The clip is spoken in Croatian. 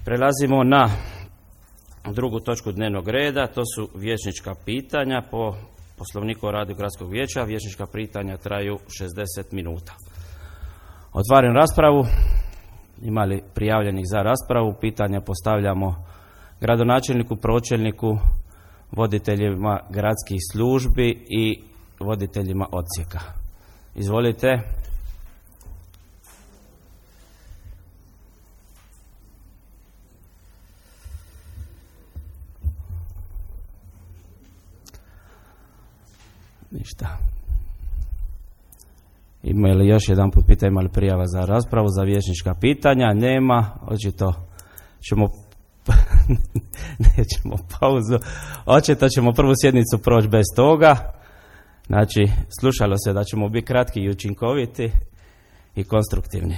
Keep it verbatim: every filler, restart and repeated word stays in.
Prelazimo na drugu točku dnevnog reda, to su vijećnička pitanja. Po Poslovniku o radu Gradskog vijeća vijećnička pitanja traju šezdeset minuta. Otvaram raspravu. Ima li prijavljenih za raspravu? Pitanja postavljamo gradonačelniku, pročelniku, voditeljima gradskih službi i voditeljima odsjeka. Izvolite. Ništa. Ima li još jedan put pitanje, ima li prijava za raspravu, za vijećnička pitanja? Nema. Očito ćemo nećemo pauzu. Očito ćemo prvu sjednicu proći bez toga. Znači, slušalo se da ćemo biti kratki i učinkoviti i konstruktivni.